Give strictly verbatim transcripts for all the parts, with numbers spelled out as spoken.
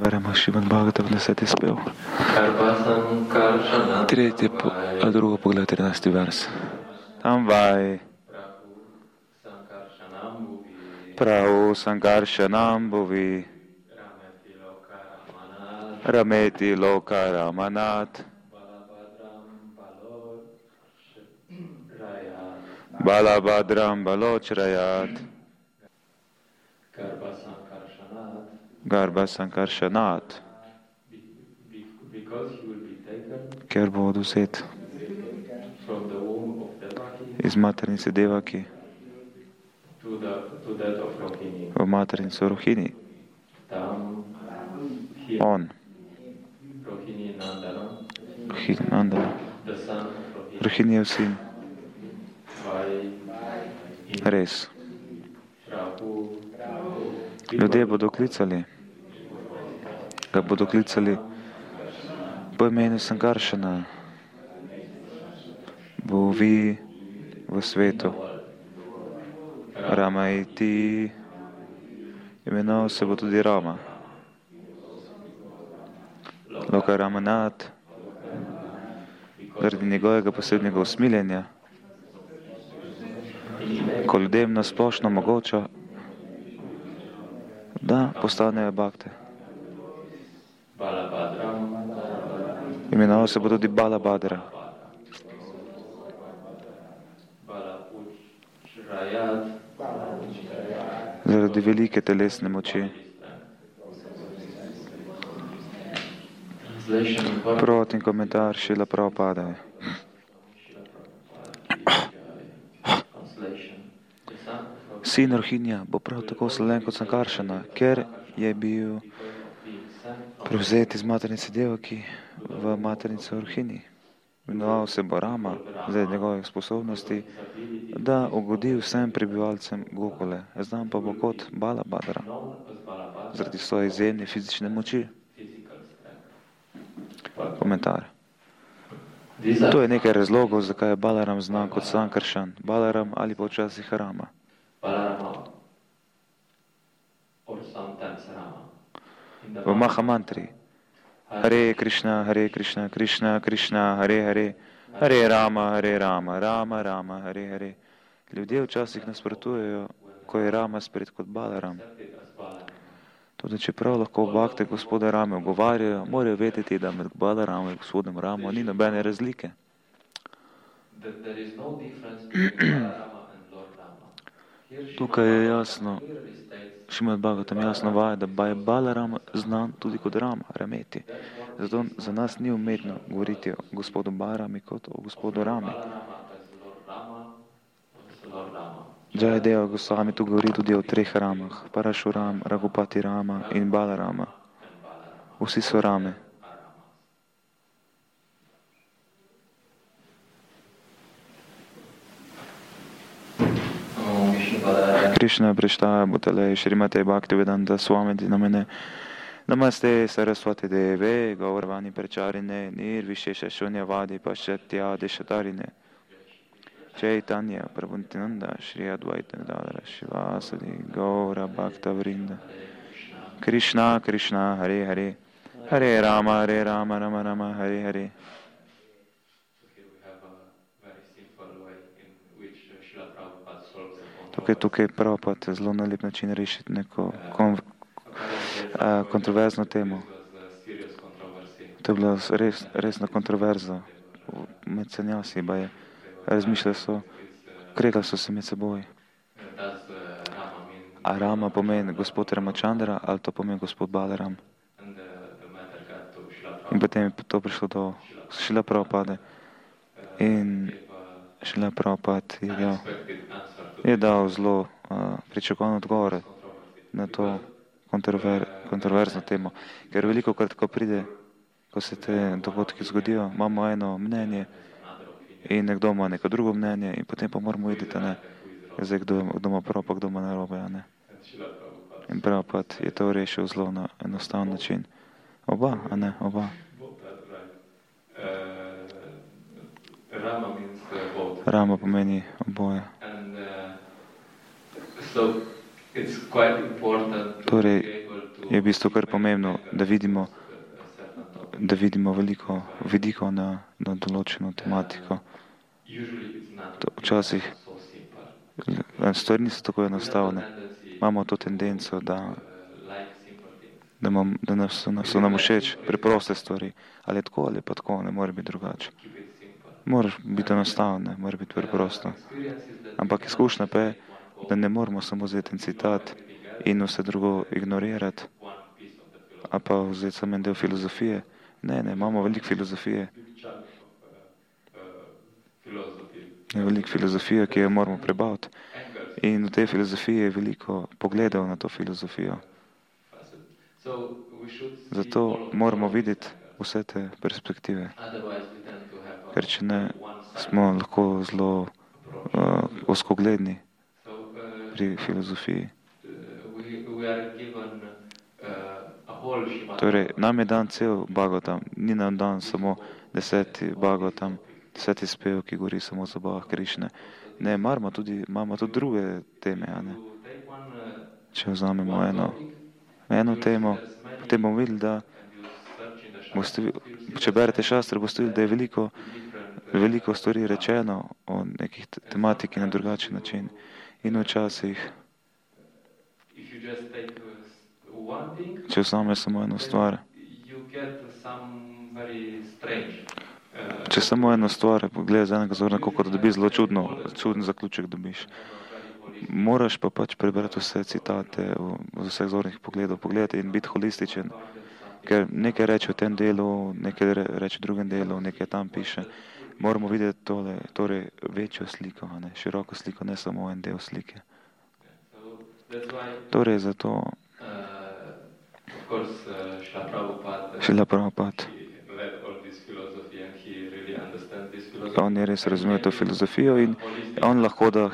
Beremo Šrimad Bhagavatam, deseti spev. Tretji, po, a drugo pogled, trinajsti vers. Tam vaj. Prahu Sankarshanam Bhuvi Rameti Loka Ramanat Balabhadram Balochrayat Garbha Sankarshanat, ker bo odvzet iz maternice Devaki v maternico Rohini. On, Rohini Nandana, Rohinijev sin. Res. Ljudje bodo klicali, ga bodo klicali po imenu Sankaršana, bo vi v svetu. Rama iti, imenoval se bo tudi Rama. Loka Ramanat, zaradi njegovega posebnega usmiljenja, ko ljudem nasplošno mogoča, da postanejo bhakte. Imenoval se bo tudi Balabhadra. Zaradi velike telesne moči. Prevod in komentar Šrila Prabhupada. Sin Rohinja bo prav tako sleven kot Sankaršana, ker je bil prevzet iz maternice Devaki v maternico Rohini. Imenoval se bo Rama zaradi njegovih sposobnosti, da ugodi vsem prebivalcem Gokule. Znam pa bo kot Balabhadra zaradi svoje izjemne fizične moči. Komentar. To je nekaj razlogov, zakaj je Balaram znan kot Sankaršan, Balaram ali pa včasih Rama. V Mahamantri Hare Krishna, Hare Krishna, Krishna Krishna, Hare Hare, Hare Rama, Hare Rama, Rama Rama, Hare Hare. Ljudje včasih nasprotujejo, ko je Rama spred kot Balaram. Tudi čeprav lahko bhakte gospoda Rame ogovarjajo, morajo vedeti, da med Balaramom in gospodom Ramo ni nobene razlike. Tukaj je jasno, Šrimad Bhagavatam jasno vaja, da je Balaram znan tudi kot Rama, Rameti. Zato za nas ni umetno govoriti o gospodu Balarami kot o gospodu Rami. Jayadeva Goswami tu govori tudi o treh Ramah, Parashuram, Raghupati Rama in Balarama. Vsi so Rame. Krishna Prishtaya Bhutale Shrimate Bhaktivedanta Swamiti Namane Namaste Saraswati Deve Gaurvani Pracharine Nirvishesha Shunyavadi Paschatya Deshatarine Chaitanya Prabhutinanda Shri Advaita Gadadhara Shivasadi Gaura Bhakta Vrinda Krishna Krishna Hare Hare Hare Rama Hare Rama Rama Rama Hare Hare. Tukaj, tukaj Prabhupada zelo na lep način rešiti neko kon, a, kontroverzno temo. To je bila res, resna kontroverza med sanjasi, ba je. Razmišljali so, kregali so se med seboj. A Rama pomeni gospod Ramachandra ali to pomeni gospod Balaram? In potem je to prišlo do Šrila Prabhupade. In Šrila Prabhupada je dal, je dal zelo uh, pričakovan odgovor na to kontrover, kontroverzno temo. Ker veliko krat, ko pride, ko se te dogodki zgodijo, imamo eno mnenje in nekdo ima neko drugo mnenje in potem pa moramo videti, ne, zdaj kdo, kdo ima prav, pa kdo ima narobe, a ne. In Prabhupada je to rešil zelo na enostaven način. Oba, a ne, oba. Rama pomeni oboje. Torej, je v bistvu kar pomembno, da vidimo, da vidimo veliko vidikov na, na določeno tematiko. To včasih stvari niso tako enostavne. Imamo to tendenco, da, da, mam, da nas, so nam všeč preproste stvari. Ali je tako, ali pa tako, ne more biti drugače. Moraš biti enostaven, ne more biti preprosto. Ampak izkušnja pa je, da ne moramo samo vzeti en citat in vse drugo ignorirati, a pa vzeti samo en del filozofije. Ne, ne, imamo veliko filozofije. Je veliko filozofije, ki jo moramo prebaviti. In v tej filozofiji je veliko pogledov na to filozofijo. Zato moramo videti vse te perspektive. Ker če ne, smo lahko zelo uh, ozkogledni pri filozofiji. Torej, nam je dan cel Bhagavatam, ni nam dan samo deseti Bhagavatam, deseti spev, ki govori samo o zabavah Krišne. Ne, imamo tudi, imamo tudi druge teme, a ne. Če vzamemo eno, eno temo, potem bomo videli, da boste, če berete šastre, boste videli, da je veliko, veliko stvari rečeno o nekih tematiki na drugačen način. In včasih, če vzame samo eno stvar, če samo eno stvar pogledaš z enega zornega kota, da dobiš zelo čudno, čuden zaključek dobiš. Moraš pa pač prebrati vse citate z vseh zornih pogledov, pogledati in biti holističen. Ker nekaj reče v tem delu, nekaj reče v drugem delu, nekaj tam piše. Moramo videti tole, torej večjo sliko, a ne, široko sliko, ne samo en del slike. Torej zato Šrila Prabhupada, on je res razumel to filozofijo in on lahko da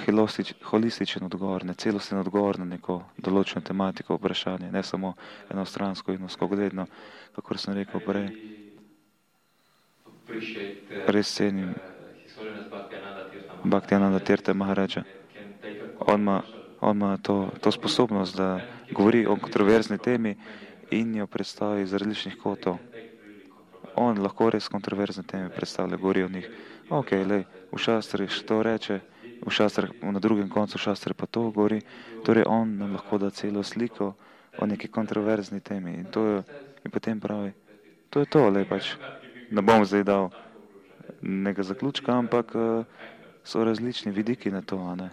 holističen odgovor, ne celosten odgovor na neko določeno tematiko, vprašanje, ne samo enostransko in ozkogledno, kakor sem rekel prej. Res cenim Bhaktivedanta Tirtha Maharaja. On ima, on ima to, to sposobnost, da govori o kontroverzni temi in jo predstavi iz različnih kotov. On lahko res kontroverzne teme predstavlja, govori o njih. Ok, lej, v šastrih to reče, v šastrih, na drugem koncu šastre pa to govori. Torej on nam lahko da celo sliko o neki kontroverzni temi. In to je, in potem pravi, to je to, lej pač. Ne bom zdaj dal nekega zaključka, ampak uh, so različni vidiki na to, a ne.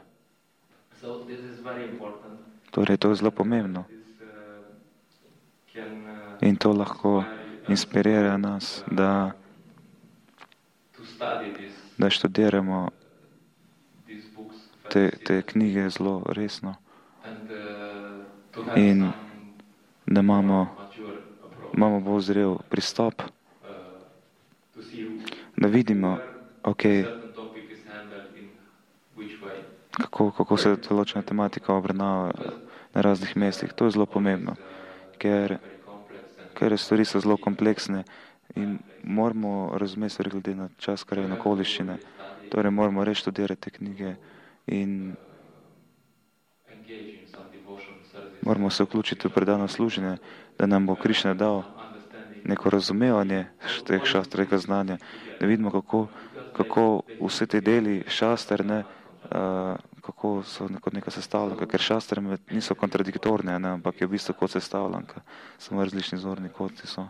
Torej, to je zelo pomembno. In to lahko inspirira nas, da, da študiramo te, te knjige zelo resno in da imamo, imamo bolj zrel pristop, da vidimo, ok, kako, kako se določena tematika obravnava na raznih mestih. To je zelo pomembno, ker, ker stvari so zelo kompleksne in moramo razumeti stvari glede na čas, kar je na okoliščine. Torej moramo res študirati te knjige in moramo se vključiti v predano služenje, da nam bo Krišna dal neko razumevanje teh šastr, tega znanja, da vidimo, kako, kako vse te deli šastr, ne, uh, kako so kot neka sestavljanka, ker šastre niso kontradiktorne, ne, ampak je v bistvu kot sestavljanka, samo različni zorni koti so.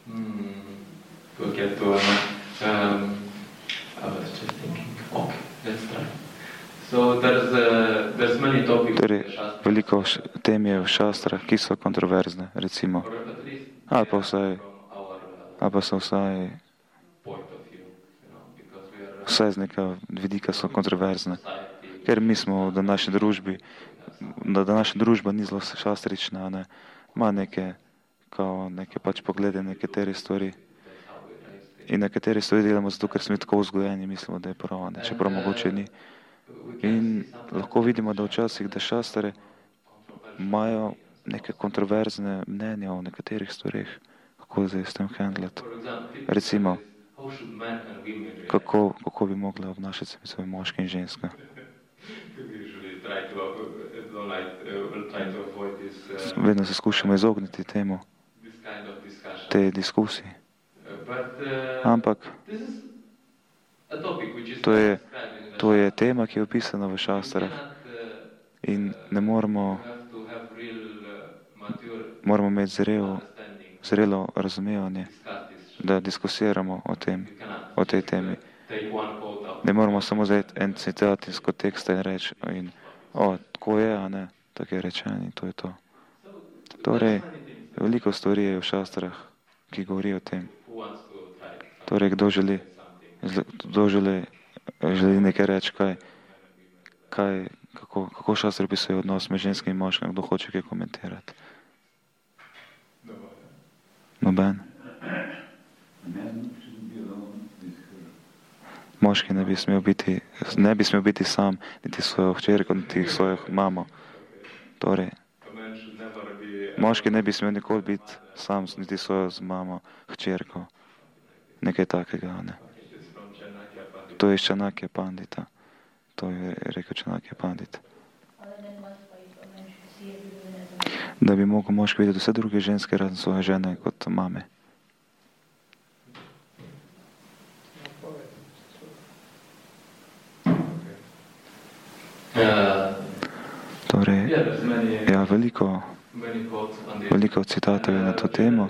Hmm, to je to, um, I was just thinking, okay, let's try. So there's, uh, there's many topics. Torej, veliko tem je v šastrah, ki so kontroverzne, recimo. Ali pa vsaj, ali pa so vsaj, vsaj z nekega vidika so kontroverzne. Ker mi smo v današnji družbi, da današnja družba ni zelo šastrična, ne, ima neke, kao neke pač poglede na nekatere stvari. In nekatere stvari delamo zato, ker smo tako vzgojeni, mislimo, da je prav, ne, čeprav mogoče ni. In lahko vidimo, da včasih, da šastre imajo neke kontroverzne mnenja o nekaterih stvarih, kako zdaj s tem handlati. Recimo, kako, kako bi mogla obnašati se moški in ženska. Vedno se skušamo izogniti temu, te diskusiji. Ampak to je, to je tema, ki je opisana v šastrah. In ne moramo, moramo imeti zrelo, zrelo razumevanje, da diskusiramo o tem, o tej temi. Ne moramo samo vzeti en citat iz konteksta in reči, in, o, tako je, a ne, tako je rečeno in to je to. Torej, veliko stvari je v šastrah, ki govori o tem. Torej, kdo želi, kdo želi, želi nekaj reči, kaj, kaj, kako, kako šastri opisuje odnos med ženskim in moškim, kdo hoče kaj komentirati. Noben. Moški ne bi smel biti, ne bi smel biti sam, niti svojo hčerko, niti svojo mamo. Torej, moški ne bi smel nikoli biti sam, niti svojo z mamo, hčerko. Nekaj takega, ne. To je Čanakja Pandita. To je rekel Čanakja Pandita. Da bi mogel moški videti vse druge ženske razen svoje žene kot mame. Torej, ja, veliko, veliko citatov je na to temo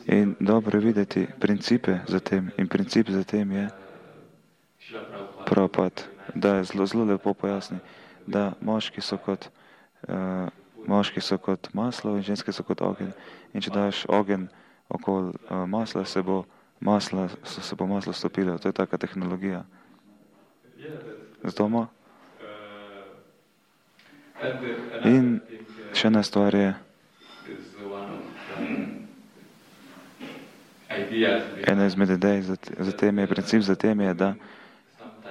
in dobro videti principe za tem. In princip za tem je Prabhupada, da je zelo, zelo lepo pojasni, da moški so kot, uh, moški so kot maslo in ženske so kot ogenj. In če daš ogenj okoli uh, masla, se bo maslo, se bo maslo stopilo. To je taka tehnologija. Zato ima. In še ena stvar je, ena izmed idej za, za tem je, princip za tem je, da,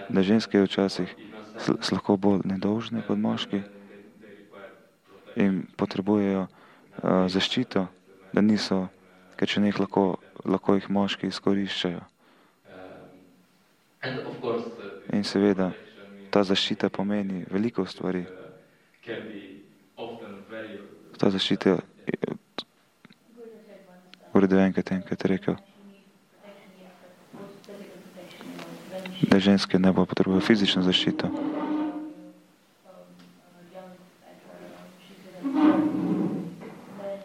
da ženske včasih so lahko bolj nedolžne kot moški in potrebujejo uh, zaščito, da niso, ker če njih lahko, lahko jih moški izkoriščajo. In seveda, ta zaščita pomeni veliko stvari. Ta zaščita, v redu enkrat enkrat rekel, da ženske ne bo potrebujejo fizično zaščito.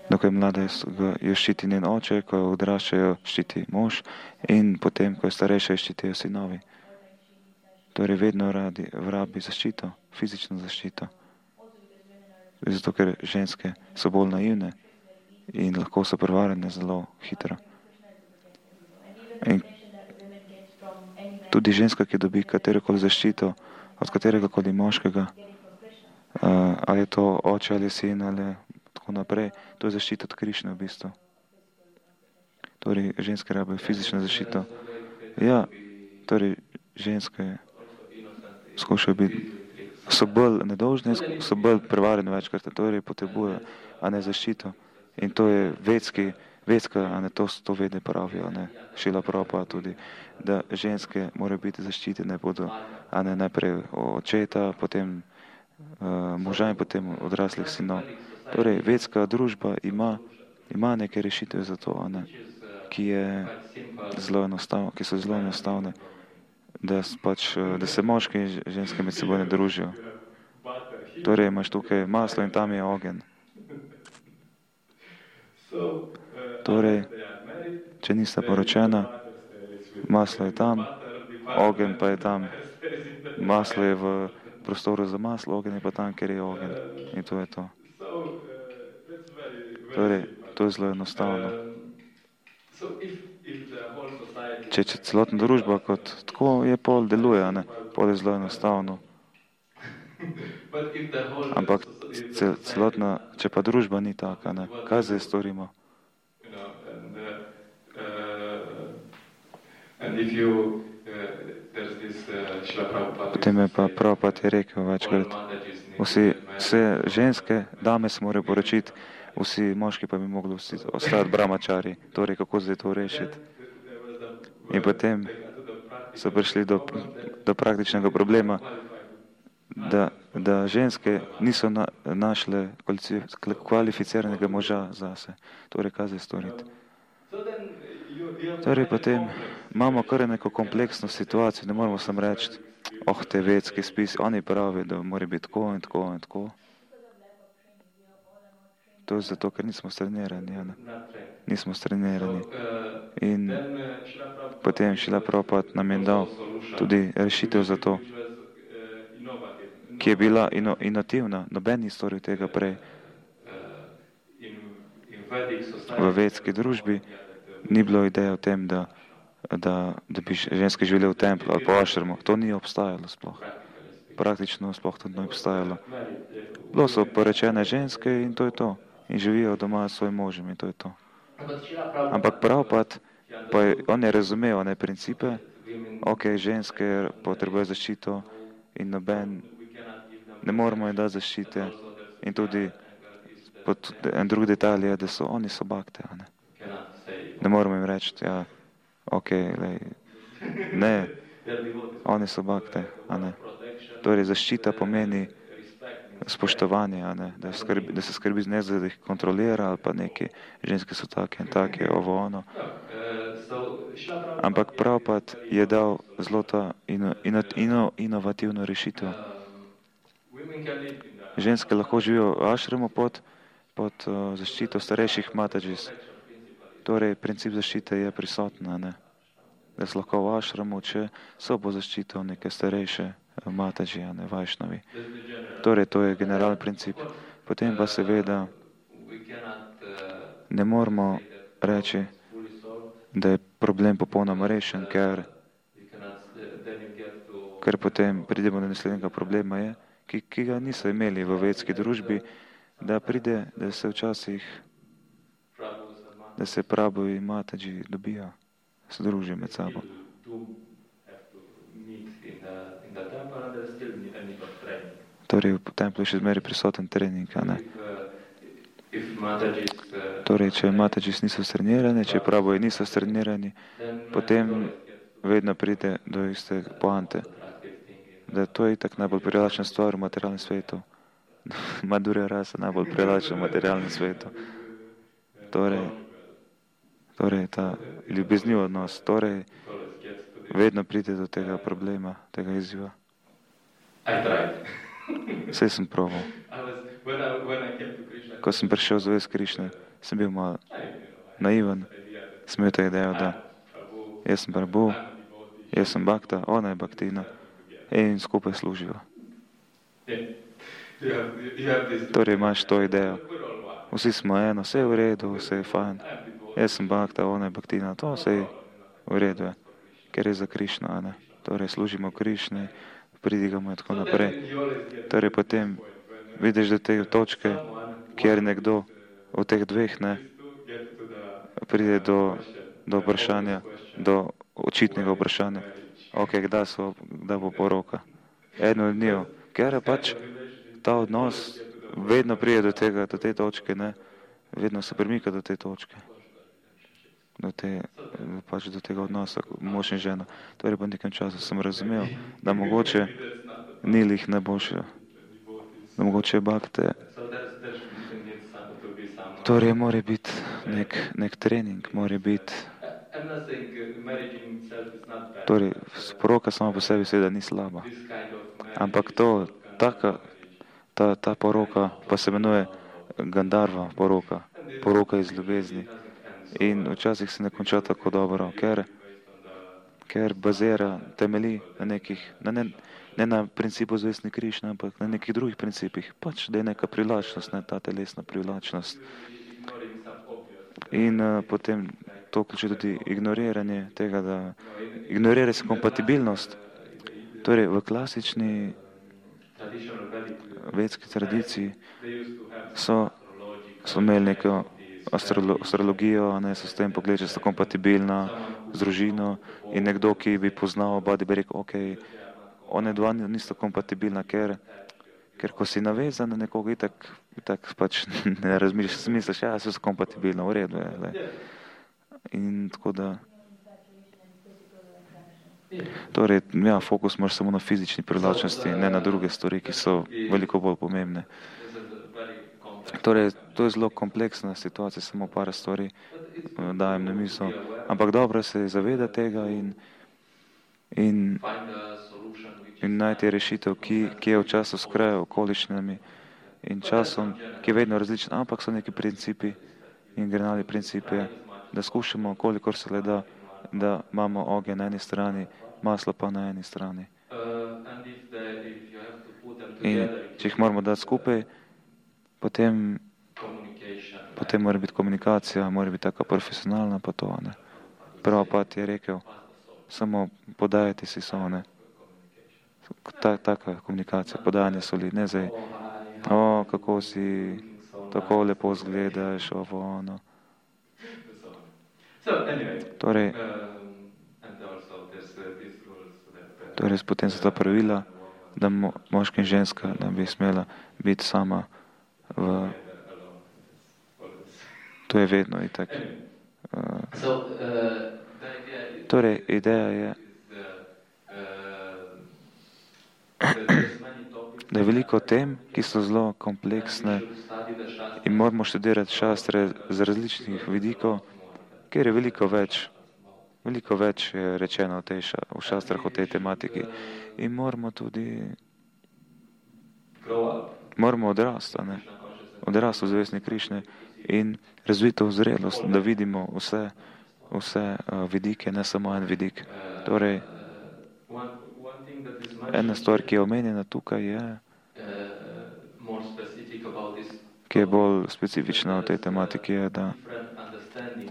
Dokaj mlada jo ščiti njen oče, ko jo odraščajo, ščiti mož in potem, ko je starejša, ščitijo sinovi. Torej vedno radi vrabi zaščito, fizično zaščito. Zato, ker ženske so bolj naivne in lahko so prevarane zelo hitro. In tudi ženska, ki dobi katerokoli zaščito od kateregakoli moškega, ali je to oče ali sin ali tako naprej, to je zaščita od Krišne v bistvu. Torej, ženske rabijo fizično zaščito. Ja, torej, ženske skušajo biti, so bolj nedolžne, so bolj prevarene večkrat, torej potrebujejo, a ne zaščito. In to je vedski, vedska, a ne to, to vede pravijo, a ne Šrila Prabhupada tudi, da ženske morajo biti zaščitene, bodo, a ne najprej očeta, potem uh, moža in potem odraslih sinov. Torej, vedska družba ima, ima neke rešitve za to, a ne, ki, je zelo enostav, ki so zelo enostavne. Da, pač, da se moški in ženske med seboj ne družijo. Torej imaš tukaj maslo in tam je ogenj. Torej, če nista poročena, maslo je tam, ogenj pa je tam. Maslo je v prostoru za maslo, ogenj je pa tam, kjer je ogenj. In to je to. Torej, to je zelo enostavno. Če, če celotna družba kot tako je, pol deluje, ne? Pol je zelo enostavno. Ampak cel, celotna, če pa družba ni taka, ne? Kaj zdaj storimo? Potem je pa Prabhupada je rekel večkrat, vsi, vse ženske, dame se morajo poročiti, vsi moški pa bi mogli ostati brahmačari. Torej, kako zdaj to rešiti? In potem so prišli do, do praktičnega problema, da da ženske niso na, našle kvalificiranega moža zase. Torej, kaj zdaj storiti? Torej, potem imamo kar neko kompleksno situacijo, ne moramo samo reči, oh, te vedski spisi, oni pravijo, da mora biti tako in tako in tako. To je zato, ker nismo strenirani, ja, ne? Nismo strenirani. In potem Šrila Prabhupada nam je dal tudi rešitev za to, ki je bila ino, inovativna. Noben ni storil tega prej. V vedski družbi ni bilo ideje o tem, da, da, da bi ženske živele v templu ali po ašramu. To ni obstajalo sploh. Praktično sploh to ni obstajalo. Bilo so porečene ženske in to je to. In živijo doma s svojim možem in to je to. Ampak Prabhupada, pa je, on je razumel one principe, ok, ženske potrebujejo zaščito in noben, ne moramo jim dati zaščite. In tudi pod, en drug detalj je, da so oni so bakte, a ne. Ne moramo jim reči, ja, ok, lej, ne, oni so bakte, a ne. Torej, zaščita pomeni spoštovanje, a ne, da, skrbi, da se skrbi ne, da jih kontrolira ali pa neki ženske so take in take, ovo ono. Ampak Prabhupada je dal zelo ta ino, ino, ino, inovativno rešitev. Ženske lahko živijo v ašramu pod, pod uh, zaščito starejših matađis. Torej, princip zaščite je prisoten, a ne. Da so lahko v ašramu, če so po zaščito neke starejše matađi, a ne, vajšnavi. Torej, to je generalni princip. Potem pa seveda ne moramo reči, da je problem popolnoma rešen, ker, ker potem pridemo do naslednjega problema, je, ki, ki ga niso imeli v vedski družbi, da pride, da se včasih, da se Prabhu in matađi dobijo, se družijo med sabo. Torej, v templu je še zmeri prisoten trening, a ne. Torej, če matađis niso strenirani, če Prabhu niso strenirani, potem vedno pride do iste poante, da to je itak najbolj privlačna stvar v materialnem svetu. Madhurya rasa najbolj privlačna v materialnem svetu. Torej, torej ta ljubezniv odnos, torej vedno pride do tega problema, tega izziva. Vse sem probal. Ko sem prišel z vest Krišne, sem bil malo naiven, sem imel ta idejo, da jaz sem Prabhu, jaz sem Bhakta, ona je Bhaktina in skupaj služijo. Torej imaš to idejo. Vsi smo eno, vse je v redu, vse je fajn. Jaz sem Bhakta, ona je Bhaktina, to vse je v redu, je. Ker je za Krišno, a ne. Torej služimo Krišni, pridigamo in tako naprej. Torej potem vidiš do te točke, kjer nekdo od teh dveh, ne, pride do, do vprašanja, do očitnega vprašanja. Ok, kdaj, so, kdaj bo poroka? Eno od njih, ker je pač ta odnos vedno pride do tega, do te točke, ne, vedno se premika do te točke. Do, te, pač do tega odnosa, mož in žena. Torej po nekem času sem razumel, da mogoče ni lih najboljše, da mogoče je Bhakte. Torej mora biti nek, nek trening, mora biti. Torej, poroka sama po sebi seveda ni slaba. Ampak to, taka, ta, ta poroka pa se imenuje Gandharva poroka, poroka iz ljubezni. In včasih se ne konča tako dobro, ker, ker bazira, temelji na nekih, na ne, ne na principu zvestni Krišne, ampak na nekih drugih principih. Pač, da je neka privlačnost, ne ta telesna privlačnost. In uh, potem to vključuje tudi ignoriranje tega, da ignorira se kompatibilnost. Torej, v klasični vedski tradiciji so, so imeli neko astrolo, astrologijo, ne, so s tem pogledali, če sta kompatibilna z družino in nekdo, ki bi poznal oba, bi rekel, ok, one dva nista kompatibilna, ker, ker ko si navezan na nekoga, itak, itak pač ne razmišljaš, misliš, ja, so kompatibilna, v redu je. Le. In tako da Torej, ja, fokus moraš samo na fizični privlačnosti, ne na druge stvari, ki so veliko bolj pomembne. Torej, to je zelo kompleksna situacija, samo par stvari dajem na misel. Ampak dobro se zaveda tega in, in, in najti rešitev, ki, ki je v času s krajo, okoliščinami in časom, ki je vedno različen, ampak so neki principi in generalni principi, da skušamo, kolikor se le da, da imamo ogenj na eni strani, maslo pa na eni strani. In če jih moramo dati skupaj, potem, potem mora biti komunikacija, mora biti taka profesionalna, pa to, ne. Prabhupada je rekel, samo podajati si so, ne. Ta, taka komunikacija, podajanje soli, ne zdaj, o, kako si, tako lepo zgledaš, ovo, ono. Torej, torej potem so ta pravila, da mo, moški in ženska, da bi smela biti sama v... To je vedno itak. Uh, torej, ideja je, da je veliko tem, ki so zelo kompleksne in moramo študirati šastre z različnih vidikov, ker je veliko več, veliko več je rečeno v, tej ša, v šastrah o tej tematiki in moramo tudi, moramo odrasti, ne, odrasti v zavestni Krišne in razviti to zrelost, da vidimo vse, vse uh, vidike, ne samo en vidik. Torej, ena stvar, ki je omenjena tukaj, je, ki je bolj specifična v tej tematiki, je, da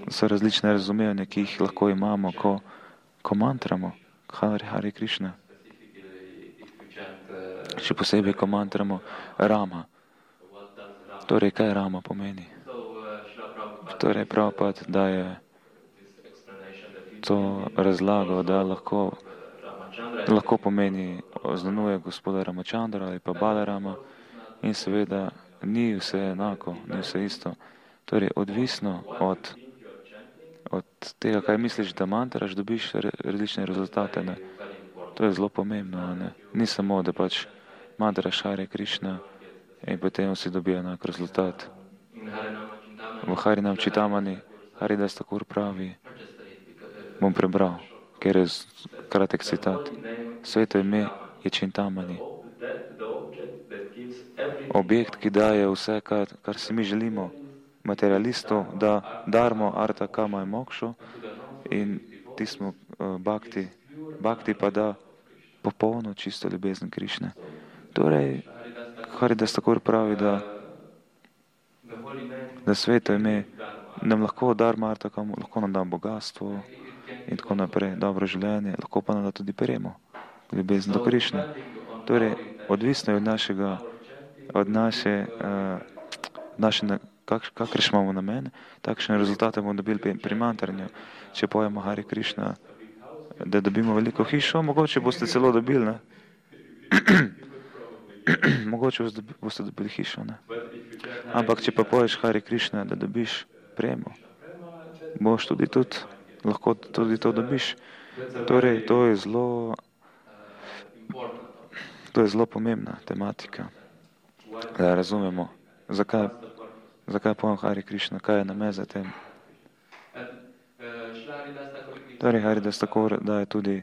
so različne razumevanja, ki jih lahko imamo, ko, ko mantramo Hari Hari Krišna. Še posebej, ko mantramo Rama. Torej, kaj Rama pomeni? Torej, Prabhupada daje to razlago, da lahko, lahko pomeni, oznanuje gospoda Ramachandra ali pa Balarama in seveda ni vse enako, ni vse isto. Torej, odvisno od, od tega, kaj misliš, da mantraš, dobiš različne rezultate. Ne? To je zelo pomembno. Ne? Ni samo, da pač mantraš Hare Krišna in potem vsi dobijo enak rezultat. V Harinam Čitamani Haridas Thakur pravi, bom prebral, ker je kratek citat. Sveto ime je Čintamani. Objekt, ki daje vse, kar, kar si mi želimo, materialistov, da darmo arta kama in mokšo in ti smo uh, bhakti, bhakti pa da popolno čisto ljubezen Krišne. Torej, Haridas Thakur pravi, da, da sveto ime nam lahko darma arta kama, lahko nam da bogatstvo in tako naprej, dobro življenje, lahko pa nam da tudi premo, ljubezen do Krišne. Torej, odvisno je od našega, od naše, uh, naše kak, kakršne imamo namen, takšne rezultate bomo dobili pri mantranju. Če pojemo Hare Krišna, da dobimo veliko hišo, mogoče boste celo dobili, ne? Mogoče boste dobili hišo, ne? Ampak če pa poješ Hare Krišna, da dobiš premo, boš tudi tudi, lahko tudi to dobiš. Torej, to je zelo, to je zelo pomembna tematika, da razumemo, zakaj, zakaj pojem Hare Krišna, kaj je namen za tem. Torej, Haridas Thakur daje tudi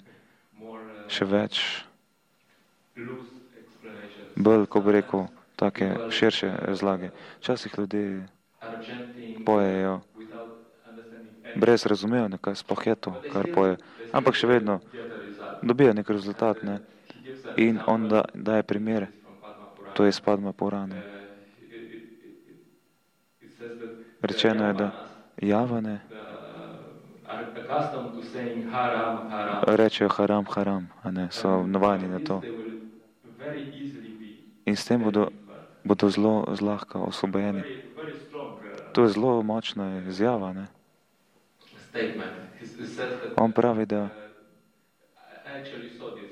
še več, bolj, ko bi rekel, take širše razlage. Včasih ljudje pojejo brez razumevanja, kaj sploh je to, kar poje, ampak še vedno dobijo nek rezultat, ne? In on da, daje primer, to je iz Padma Purane. Rečeno je, da javane rečejo haram, haram, a ne, so navajeni na to. In s tem bodo, bodo zelo zlahka osvobojeni. To je zelo močna izjava, ne. On pravi, da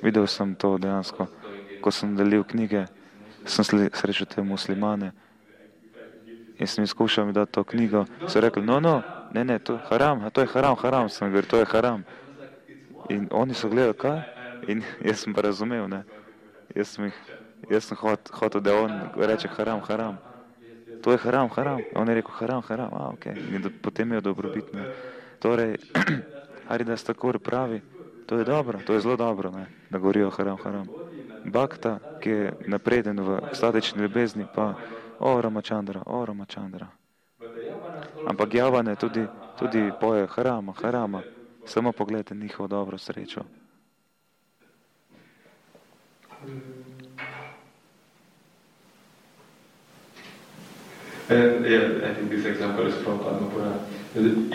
videl sem to dejansko, ko sem delil knjige, sem srečal te muslimane in sem jim skušal mi dati to knjigo, so rekli, no, no, ne, ne, to je haram, to je haram, haram, sem govoril, to je haram. In oni so gledali, kaj? In jaz sem pa razumel, ne. Jaz sem, jih, jaz sem hot, hotel, da on reče haram, haram. To je haram, haram. On je rekel haram, haram. A, ok. In do, potem je dobrobit, ne. Torej, Haridas Thakur pravi, to je dobro, to je zelo dobro, ne, da govorijo haram, haram. Bhakta, ki je napreden v ekstatični ljubezni, pa o Ramachandra, o Ramachandra. Ampak javane tudi, tudi poje harama, harama. Samo pogledajte njihovo dobro srečo. And yeah, I think this example is from Padma Purana.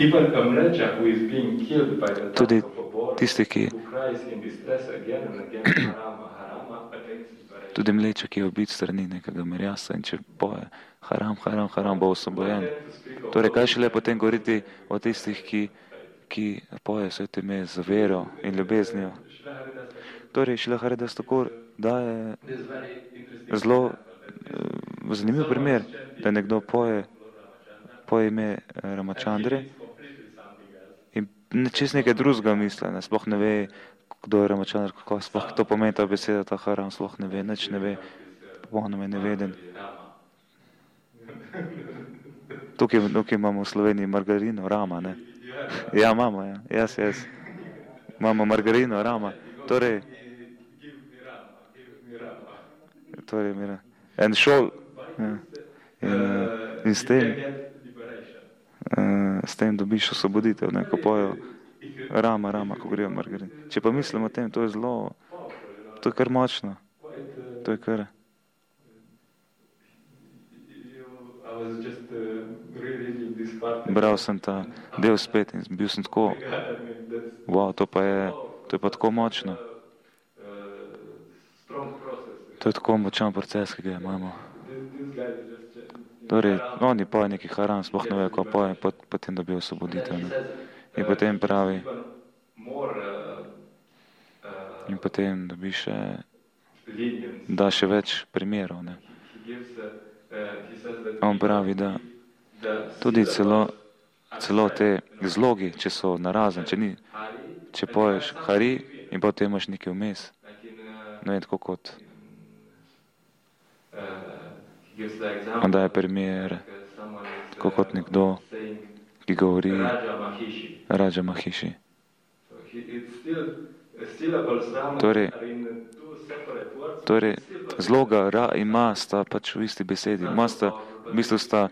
Even a mlecha who is being killed by the Tudi touch of a boar, tisti, ki, who cries in distress again and again, harama, harama, attains liberation. tudi mleče, ki je ubit strani nekega merjasa in če poje haram, haram, haram, bo osvobojen. Torej, kaj šele potem govoriti o tistih, ki, ki poje svete ime z vero in ljubeznijo. Torej, Šrila Haridas Thakur daje zelo uh, zanimiv primer, da nekdo poje, poje ime Ramachandre in čist nekaj drugega misle, ne, sploh ne ve, kdo je Ramachandra, kako sploh to pomeni ta beseda, ta haram, sploh ne ve, nič ne ve, popolnoma je neveden. Tukaj, tukaj imamo v Sloveniji margarino, Rama, ne. Ja, imamo, ja, jaz, jaz. Imamo margarino, Rama. Torej, torej, mira, en šol, ja. In, uh, in s tem, uh, s tem dobiš osvoboditev, ne, ko pojo Rama, Rama, ko govorijo margarin. Če pa mislimo o tem, to je zelo, to je kar močno. To je kar. Bral sem ta del spet in bil sem tako, wow, to pa je, to je pa tako močno. To je tako močan proces, ki ga imamo. Torej, oni poje neki haram, sploh ne vejo, ko poje, potem dobijo osvoboditev, ne. In potem pravi, in potem dobi še, da še več primerov, ne. On pravi, da tudi celo, celo te zlogi, če so narazen, če ni, če poješ hari in potem imaš nekaj vmes, ne vem, tako kot, on daje primer, tako kot nekdo, ki govori Raja Mahiši. Torej, torej, zloga ra in ma sta pač v isti besedi. Ma sta, v bistvu sta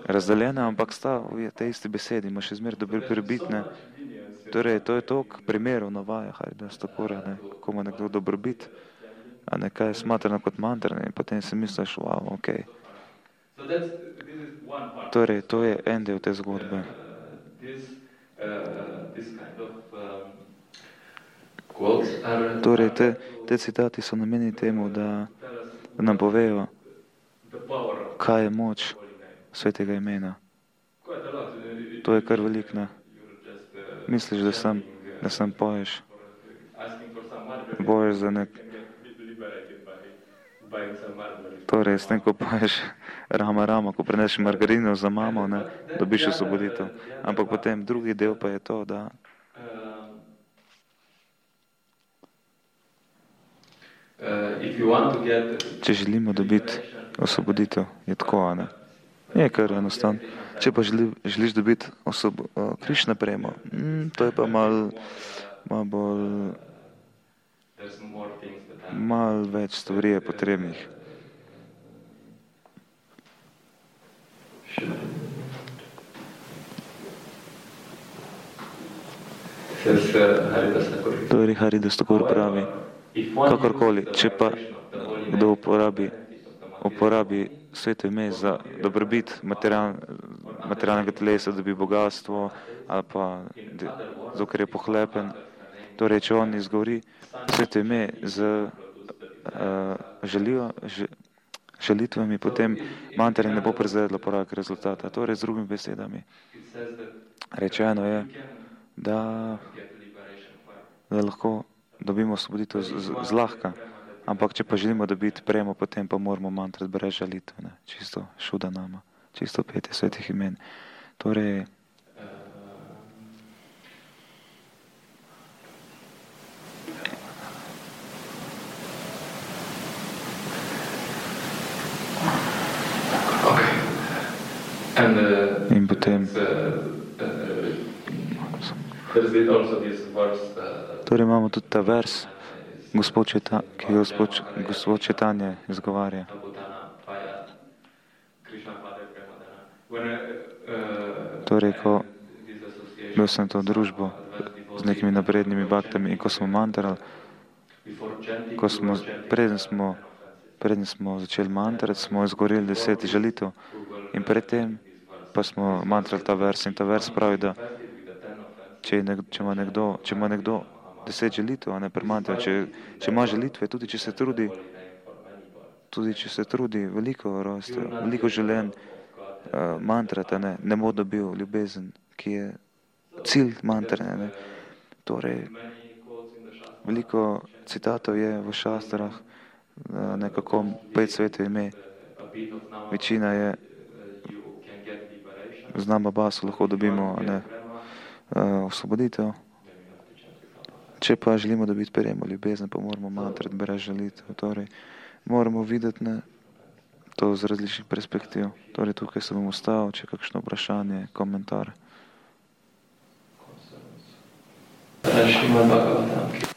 razdeljena, ampak sta v tej isti besedi. Ma še zmer dobil prebitne. Torej, to je toliko primerov navaja Haridas Thakura, ne, kako ima nekdo dobrobit, a nekaj je smatrano kot mantra, ne, in potem si misliš, wow, ok. Torej, to je en del te zgodbe. Torej, te, te citati so namenjeni temu, da nam povejo, kaj je moč svetega imena. To je kar veliko, ne. Misliš, da sem, da sem poješ, boješ za nek... Torej, s tem, ko poješ Rama, Rama, ko preneš margarino za mamo, ne, dobiš osvoboditev. Ampak potem drugi del pa je to, da če želimo dobiti osvoboditev, je tako, ne. Je kar enostavno. Če pa želi, želiš dobiti osobo, uh, Krišna premo, mm, to je pa malo mal bolj, malo več stvari je potrebnih. Torej, Haridas Thakur pravi, kakorkoli, če pa kdo uporabi, uporabi sveto ime za dobrobit material, materialnega telesa, da bi bogatstvo ali pa zato, ker je pohlepen. Torej, če on izgovori sveto ime z uh, želijo, že, želitvami, potem mantra ne bo prezvedla poraka rezultata. Torej, z drugimi besedami, rečeno je, da, da lahko dobimo osvoboditev zlahka. Ampak, če pa želimo dobiti premo, potem pa moramo mantrati brez žalitve, ne, čisto šuda nama, čisto petje svetih imen. Torej, And, uh, In potem, uh, uh, there's also this verse, uh, torej imamo tudi ta vers, Gospod Četa, ki ga Gospod, Gospod Četanje izgovarja. Torej, ko bil sem to družbo z nekimi naprednimi baktami in ko smo mantrali, ko smo, preden smo, preden smo začeli mantrati, smo izgoreli deset žalitev in predtem pa smo mantrali ta vers in ta vers pravi, da če, nek, če ima nekdo, če ima nekdo deset žalitev, a ne premantra, če, če ima žalitve, tudi če se trudi, tudi če se trudi veliko rostev, veliko želen uh, mantrati, ne, ne bo dobil ljubezen, ki je cilj mantre, ne. Torej, veliko citatov je v šastrah, uh, nekako pet svetov ime, večina je z nama basu lahko dobimo, ne, uh, osvoboditev. Če pa želimo dobiti prejemo ljubezen, pa moramo mantrati brez žalitev. Torej, moramo videti, ne, to z različnih perspektiv. Torej, tukaj se bom ustavil, če je kakšno vprašanje, komentar. Srimad Bhagavatam.